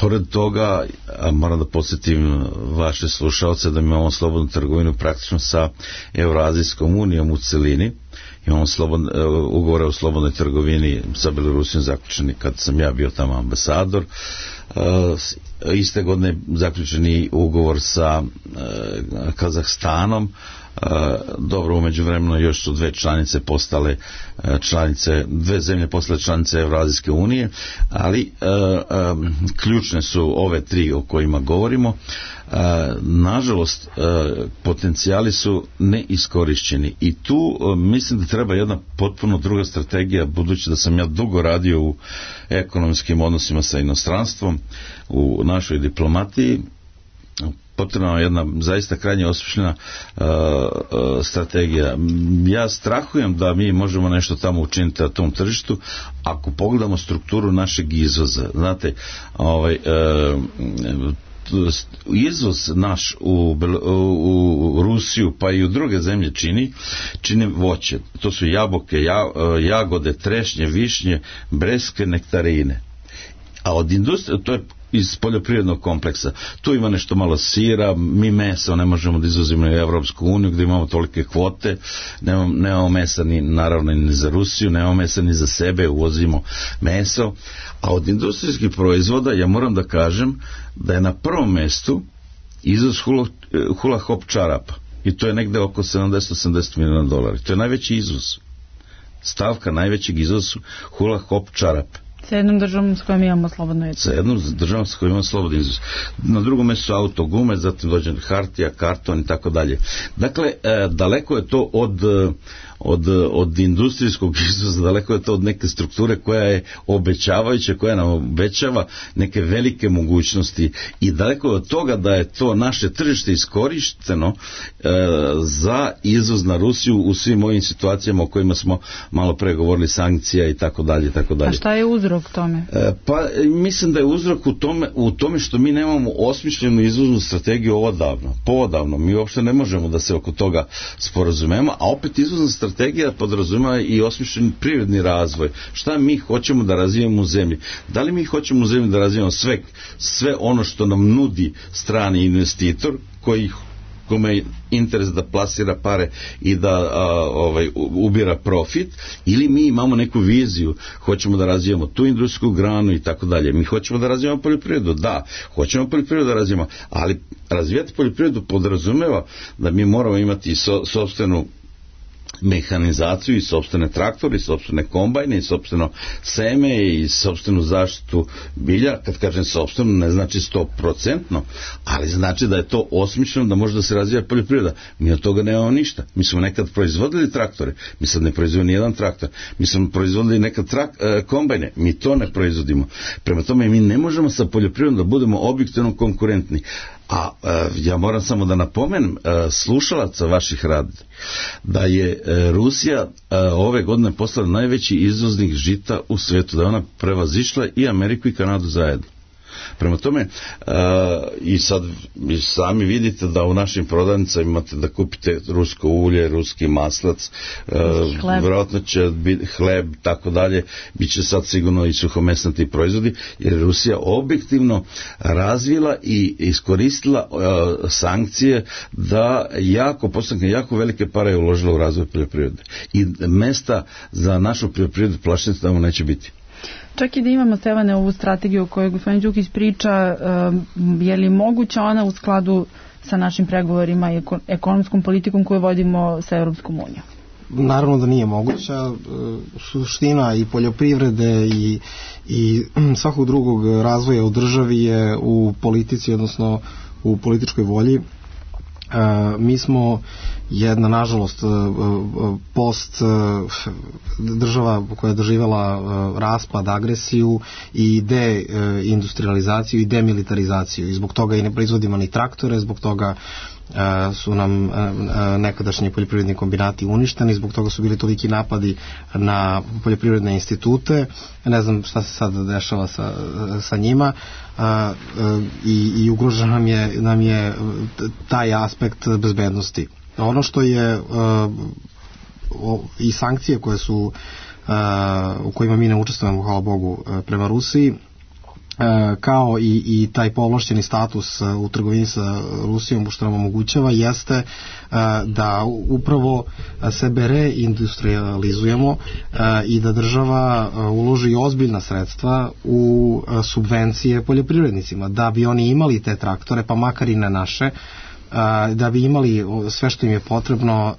pored toga, a moram da podsjetim vaše slušalce da mi imamo slobodnu trgovinu praktično sa Evroazijskom unijom u celini. Imamo slobod, ugovore o slobodnoj trgovini sa Belorusijom zaključeni kad sam ja bio tamo ambasador. A, iste godine zaključeni ugovor sa a, Kazahstanom. Uh, dobro, umeđu vremenu još su dve članice postale uh, članice, dve zemlje postale članice Evroazijske unije, ali uh, um, ključne su ove tri o kojima govorimo. Uh, nažalost, uh, potencijali su neiskorišćeni i tu uh, mislim da treba jedna potpuno druga strategija, budući da sam ja dugo radio u ekonomskim odnosima sa inostranstvom, u našoj diplomatiji. potrebna jedna zaista krajnje osmišljena uh, uh, strategija. Ja strahujem da mi možemo nešto tamo učiniti na tom tržištu ako pogledamo strukturu našeg izvoza. Znate, ovaj, uh, izvoz naš u, u, u Rusiju pa i u druge zemlje čini čini voće. To su jabuke, ja, jagode, trešnje, višnje, breskve, nektarine. A od industrije, to je iz poljoprivrednog kompleksa. Tu ima nešto malo sira, mi meso ne možemo da izvozimo u Evropsku uniju gdje imamo tolike kvote, nemamo, nemamo mesa ni, naravno ni za Rusiju, nemamo mesa ni za sebe, uvozimo meso. A od industrijskih proizvoda ja moram da kažem da je na prvom mestu izvoz hula, hula hop čarapa. I to je negde oko sedamdeset do osamdeset miliona dolara. To je najveći izvoz. Stavka najvećeg izvoza hula hop čarapa. Sa jednom državom s kojom imamo slobodno izvoz. Sa jednom državom s kojom imamo slobodno izvoz. Na drugom mjestu su auto, gume, zatim dođe hartija, karton i tako dalje. Dakle, e, daleko je to od, od, od industrijskog izvoza, daleko je to od neke strukture koja je obećavajuća, koja nam obećava neke velike mogućnosti i daleko je od toga da je to naše tržište iskorišteno e, za izvoz na Rusiju u svim ovim situacijama o kojima smo malo pre govorili, sankcija i tako dalje i tako dalje. A šta je uzrok tome? E, pa mislim da je uzrok u tome, u tome što mi nemamo osmišljenu izvoznu strategiju odavno, poodavno. Mi uopšte ne možemo da se oko toga sporazumemo, a opet izvozna strategija podrazumeva i osmišljen privredni razvoj. Šta mi hoćemo da razvijemo u zemlji? Da li mi hoćemo u zemlji da razvijemo sve, sve ono što nam nudi strani investitor koji kome je interes da plasira pare i da a, ovaj, ubira profit, ili mi imamo neku viziju, hoćemo da razvijamo tu industrijsku granu i tako dalje. Mi hoćemo da razvijamo poljoprivredu, da, hoćemo poljoprivredu da razvijamo, ali razvijati poljoprivredu podrazumeva da mi moramo imati so, sopstvenu mehanizaciju i sopstvene traktore i sopstvene kombajne i sopstveno seme i sopstvenu zaštitu bilja. Kad kažem sopstveno ne znači sto procentno, ali znači da je to osmišljeno da može da se razvija poljoprivreda. Mi od toga nemamo ništa. Mi smo nekad proizvodili traktore, mi sad ne proizvodimo ni jedan traktor. Mi smo proizvodili nekad trak, e, kombajne, mi to ne proizvodimo. Prema tome mi ne možemo sa poljoprivredom da budemo objektivno konkurentni. A e, ja moram samo da napomenem e, slušalaca vaših radi da je e, Rusija e, ove godine postala najveći izvoznik žita u svijetu, da je ona prevazišla i Ameriku i Kanadu zajedno. Prema tome, uh, i sad i sami vidite da u našim prodavnicama imate da kupite rusko ulje, ruski maslac, uh, vjerojatno će biti hleb, tako dalje, bit će sad sigurno i suhomesnati proizvodi, jer Rusija objektivno razvila i iskoristila uh, sankcije da jako, postanke jako velike pare je uložila u razvoj poljoprivrede. I mesta za našu poljoprivredu plašnicu tamo neće biti. Čak i da imamo, Stevane, ovu strategiju o kojoj gospodin Đukić priča, je li moguća ona u skladu sa našim pregovorima i ekonomskom politikom koju vodimo sa Europskom unijom? Naravno da nije moguća. Suština i poljoprivrede i, i svakog drugog razvoja u državi je u politici, odnosno u političkoj volji. Uh, mi smo jedna, nažalost, post država koja je doživjela raspad, agresiju i deindustrializaciju i demilitarizaciju, i zbog toga i ne proizvodimo ni traktore, zbog toga su nam nekadašnji poljoprivredni kombinati uništeni, zbog toga su bili toliki napadi na poljoprivredne institute. Ne znam šta se sad dešava sa, sa njima, i, i ugrožen nam je, nam je taj aspekt bezbednosti. Ono što je i sankcije koje su u kojima mi ne učestvujemo, hvala Bogu, prema Rusiji, kao i, i taj povlašćeni status u trgovini sa Rusijom, što nam omogućava, jeste da upravo sebe reindustrializujemo i da država uloži ozbiljna sredstva u subvencije poljoprivrednicima, da bi oni imali te traktore, pa makar i ne naše, da bi imali sve što im je potrebno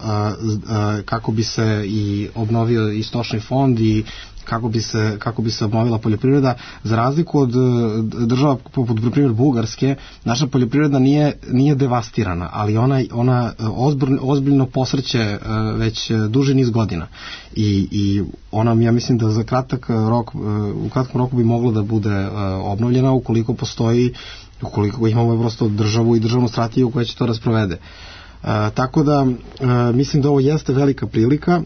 kako bi se i obnovio i stočni fond i, kako bi se, kako bi se obnovila poljoprivreda. Za razliku od država poput primjer Bugarske, naša poljoprivreda nije, nije devastirana, ali ona, ona ozbiljno, ozbiljno posrće već duži niz godina. I, i ona, ja mislim da za kratak rok, u kratkom roku bi mogla da bude obnovljena ukoliko postoji, ukoliko imamo prosto državu i državnu strategiju koja će to rasprovede. Tako da mislim da ovo jeste velika prilika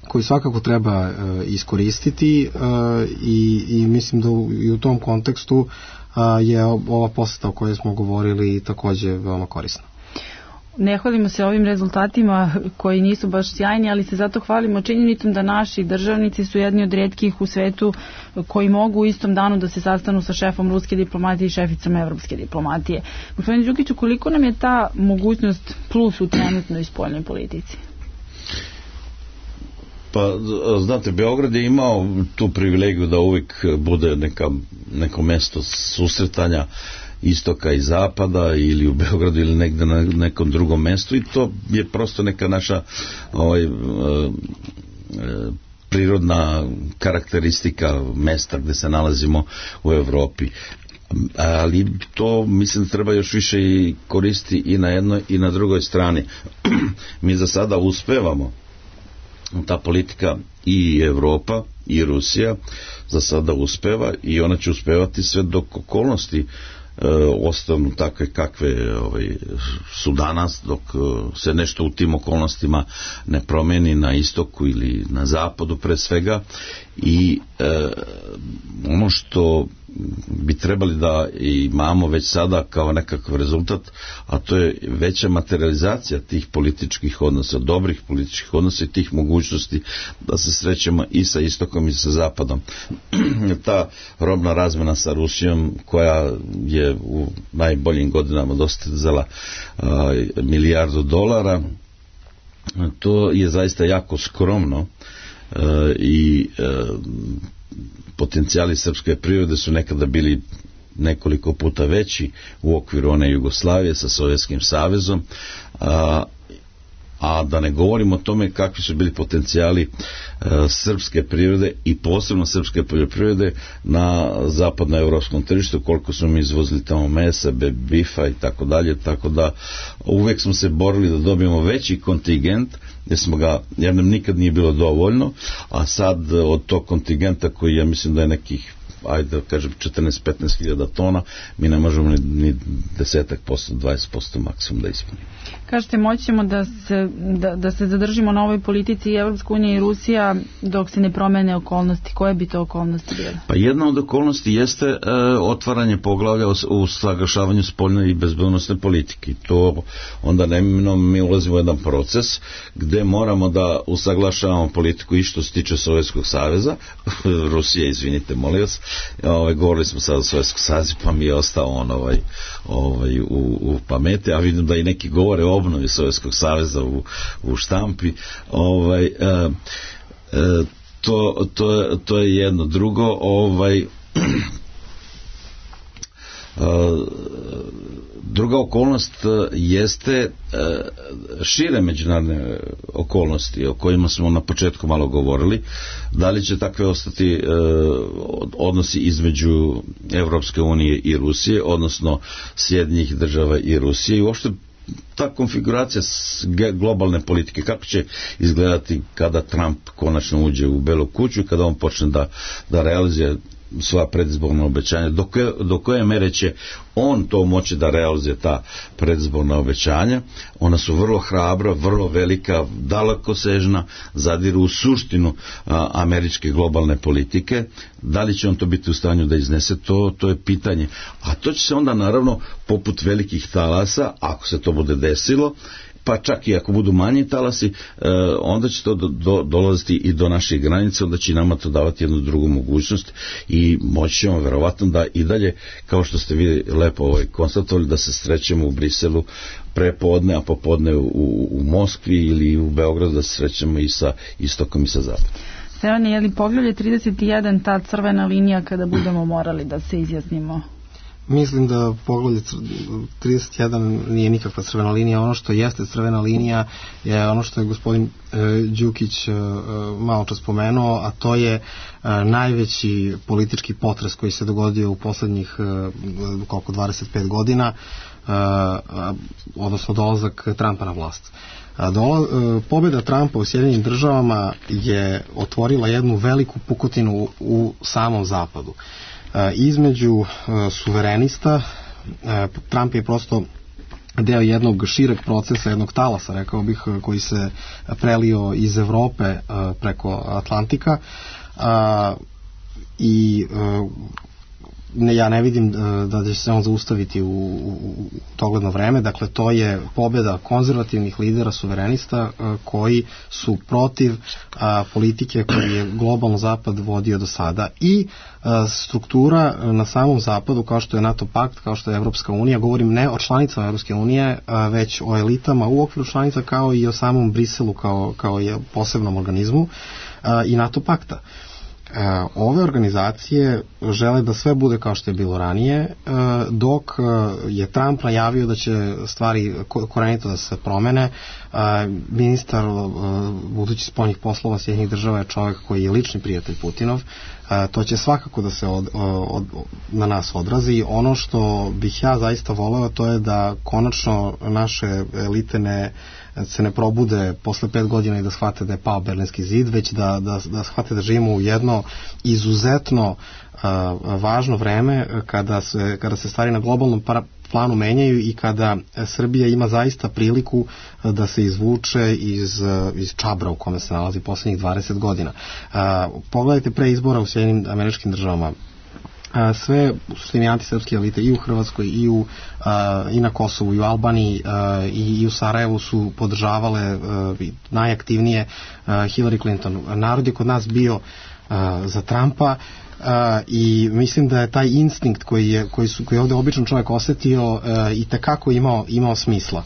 koju svakako treba uh, iskoristiti uh, i, i mislim da u, i u tom kontekstu uh, je ova poseta o kojoj smo govorili takođe veoma korisna. Ne hvalimo se ovim rezultatima koji nisu baš sjajni, ali se zato hvalimo činjenicom da naši državnici su jedni od rijetkih u svetu koji mogu u istom danu da se sastanu sa šefom ruske diplomatije i šeficom evropske diplomatije. Gospodin Đukiću, koliko nam je ta mogućnost plus u trenutnoj spoljnoj politici? Pa, znate, Beograd je imao tu privilegiju da uvijek bude neka, neko mesto susretanja istoka i zapada ili u Beogradu ili negde na nekom drugom mestu i to je prosto neka naša ovaj, prirodna karakteristika mesta gde se nalazimo u Evropi. Ali to mislim treba još više i koristi i na jednoj i na drugoj strani. Mi za sada uspevamo, ta politika i Evropa i Rusija za sada uspeva i ona će uspevati sve dok okolnosti e, ostanu takve kakve ovaj, su danas, dok se nešto u tim okolnostima ne promeni na istoku ili na zapadu pre svega i e, ono što bi trebali da imamo već sada kao nekakav rezultat, a to je veća materializacija tih političkih odnosa, dobrih političkih odnosa i tih mogućnosti da se srećemo i sa istokom i sa zapadom. Ta robna razmena sa Rusijom koja je u najboljim godinama dostizala a, milijardu dolara, to je zaista jako skromno a, i a, potencijali srpske privrede su nekada bili nekoliko puta veći u okviru one Jugoslavije sa Sovjetskim savezom, a, a da ne govorimo o tome kakvi su bili potencijali a, srpske privrede i posebno srpske poljoprivrede na zapadnoevropskom tržištu, koliko smo mi izvozili tamo mesa, bifa i tako dalje, tako da uvek smo se borili da dobijemo veći kontingent jer smo ga, jer nam nikad nije bilo dovoljno, a sad od tog kontingenta koji ja mislim da je nekih, ajde da kažem četrnaest do petnaest hiljada tona, mi ne možemo ni, ni desetak posto, dvadeset posto maksimum da ispunimo. Kažete, moći ćemo da se, da, da se zadržimo na ovoj politici i Evropska unija i Rusija dok se ne promene okolnosti. Koje bi to okolnosti bile? Pa jedna od okolnosti jeste e, otvaranje poglavlja u usaglašavanju spoljne i bezbednosne politike. To onda neminovno mi ulazimo u jedan proces gde moramo da usaglašavamo politiku i što se tiče Sovjetskog saveza, Rusije, izvinite, molim vas, ovaj, govorili smo sada o Sovjetskom savezu, pa mi je ostao on ovaj, ovaj, u, u pameti, a vidim da i neki govore o obnovi Sovjetskog saveza u, u štampi. Ovaj, e, e, to, to, to je jedno. Drugo, ovaj, druga okolnost jeste šire međunarodne okolnosti o kojima smo na početku malo govorili. Da li će takve ostati odnosi između Evropske unije i Rusije, odnosno Sjedinjenih država i Rusije i uopšte ta konfiguracija globalne politike, kako će izgledati kada Trump konačno uđe u Belu kuću, kada on počne da, da realizuje svoja predizborna obećanja, do koje, do koje mere će on to moći da realizuje ta predizborna obećanja. Ona su vrlo hrabra, vrlo velika, dalekosežna, zadiru u suštinu a, američke globalne politike. Da li će on to biti u stanju da iznese, to, to je pitanje. A to će se onda naravno poput velikih talasa, ako se to bude desilo, pa čak i ako budu manji talasi, e, onda će to do, do, dolaziti i do naših granice, onda će nama to davati jednu drugu mogućnost i moći ćemo verovatno da i dalje, kao što ste vi lepo ovaj, konstatovali, da se srećemo u Briselu prepodne, a popodne u, u Moskvi ili u Beogradu da se srećemo i sa istokom i sa zapadom. Stevane, je li poglavlje trideset jedan ta crvena linija kada budemo morali da se izjasnimo? Mislim da poglavlje trideset jedan nije nikakva crvena linija. Ono što jeste crvena linija je ono što je gospodin e, Đukić e, malo čas spomenuo, a to je e, najveći politički potres koji se dogodio u poslednjih e, koliko dvadeset pet godina, e, odnosno dolazak Trumpa na vlast. Dola, pobjeda Trumpa u Sjedinjenim državama je otvorila jednu veliku pukotinu u, u samom zapadu. Između suverenista, Trump je prosto deo jednog šireg procesa, jednog talasa, rekao bih, koji se prelio iz Evrope preko Atlantika i ne, ja ne vidim da će se on zaustaviti u, u dogledno vreme. Dakle, to je pobjeda konzervativnih lidera suverenista koji su protiv a, politike koju je globalno zapad vodio do sada i a, struktura na samom zapadu, kao što je NATO pakt, kao što je Evropska unija, govorim ne o članicama Evropske unije, a, već o elitama u okviru članica, kao i o samom Briselu kao, kao je posebnom organizmu a, i NATO pakta. Ove organizacije žele da sve bude kao što je bilo ranije, dok je Trump najavio da će stvari korenito da se promene. Ministar budući spoljnih poslova Sjedinjenih država je čovjek koji je lični prijatelj Putinov. To će svakako da se od, od, na nas odrazi. Ono što bih ja zaista voleo, to je da konačno naše elite ne se ne probude posle pet godina i da shvate da je pao Berlinski zid, već da, da, da shvate da živimo u jedno izuzetno a, važno vreme kada se, kada se stvari na globalnom planu menjaju i kada Srbija ima zaista priliku da se izvuče iz, iz čabra u kome se nalazi poslednjih dvadeset godina. A, pogledajte pre izbora u Sjedinjenim Američkim Državama. A, sve suštini antisrpske elite i u Hrvatskoj i, u, a, i na Kosovu i u Albaniji a, i, i u Sarajevu su podržavale a, najaktivnije a, Hillary Clinton. Narod je kod nas bio a, za Trumpa a, i mislim da je taj instinkt koji je, koji su, koji je ovde običan čovjek osetio a, i tekako imao, imao smisla.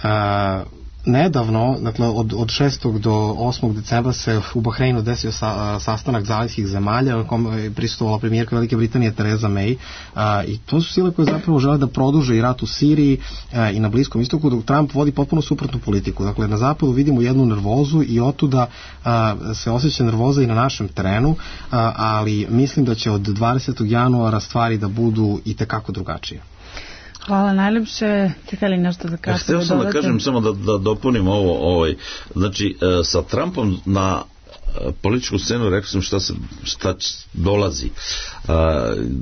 A, Nedavno, dakle od, od šestog do osmog decembra se u Bahreinu desio sa, sastanak zalivskih zemalja u kom je prisustvovala premijerka Velike Britanije Theresa May, a, i to su sile koje zapravo žele da produže i rat u Siriji a, i na Bliskom istoku, dok Trump vodi potpuno suprotnu politiku. Dakle, na zapadu vidimo jednu nervozu i otuda a, se osjeća nervoza i na našem terenu, a, ali mislim da će od dvadesetog januara stvari da budu i tekako drugačije. Hvala najlepše. Ćete li nešto za kratko dodati? Htio sam da kažem, samo da, da dopunim ovo. Ovaj, znači, e, sa Trumpom na e, političku scenu rekao sam šta, se, šta dolazi. E,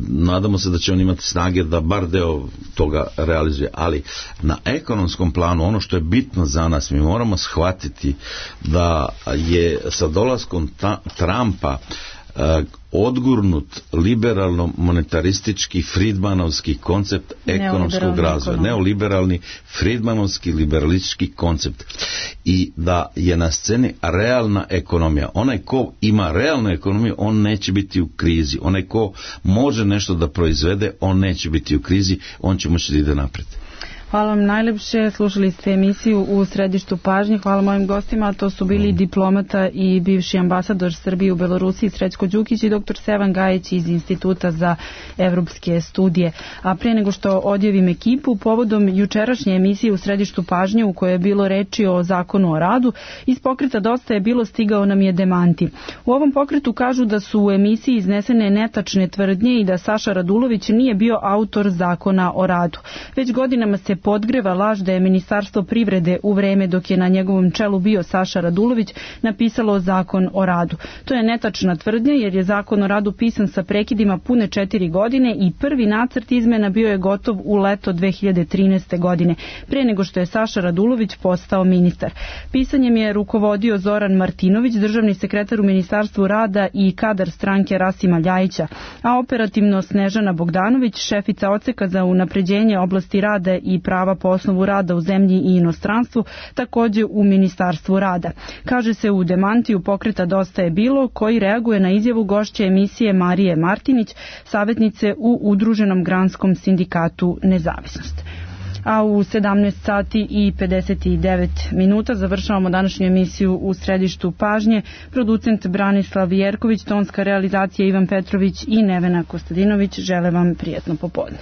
nadamo se da će on imati snage da bar deo toga realizuje. Ali na ekonomskom planu, ono što je bitno za nas, mi moramo shvatiti da je sa dolaskom ta, Trumpa e, odgurnut liberalno monetaristički Friedmanovski koncept ekonomskog razvoja, neoliberalni Friedmanovski liberalistički koncept, i da je na sceni realna ekonomija. Onaj ko ima realnu ekonomiju, on neće biti u krizi. Onaj ko može nešto da proizvede, on neće biti u krizi, on će moći da ide napred. Hvala vam najlepše, slušali ste emisiju U središtu pažnje. Hvala mojim gostima, to su bili diplomata i bivši ambasador Srbije u Belorusiji Srećko Đukić i doktor Sevan Gajić iz Instituta za evropske studije. A pre nego što odjavim ekipu, povodom jučerašnje emisije U središtu pažnje u kojoj je bilo reči o zakonu o radu, iz pokreta Dosta je bilo stigao nam je demanti. U ovom pokretu kažu da su u emisiji iznesene netačne tvrdnje i da Saša Radulović nije bio autor zakona o radu. Već godinama se podgreva laž da je Ministarstvo privrede u vreme dok je na njegovom čelu bio Saša Radulović napisalo zakon o radu. To je netačna tvrdnja jer je zakon o radu pisan sa prekidima pune četiri godine i prvi nacrt izmena bio je gotov u leto dve hiljade trinaeste. godine, pre nego što je Saša Radulović postao ministar. Pisanjem je rukovodio Zoran Martinović, državni sekretar u Ministarstvu rada i kadar stranke Rasima Ljajića, a operativno Snežana Bogdanović, šefica odseka za unapređenje oblasti rada i prava po osnovu rada u zemlji i inostranstvu, takođe u Ministarstvu rada. Kaže se u demantiju pokreta Dosta je bilo, koji reaguje na izjavu gošće emisije Marije Martinić, savjetnice u Udruženom granskom sindikatu Nezavisnost. A u sedamnaest sati i pedeset devet minuta završavamo današnju emisiju U središtu pažnje. Producent Branislav Jerković, tonska realizacija Ivan Petrović i Nevena Kostadinović žele vam prijatno popodne.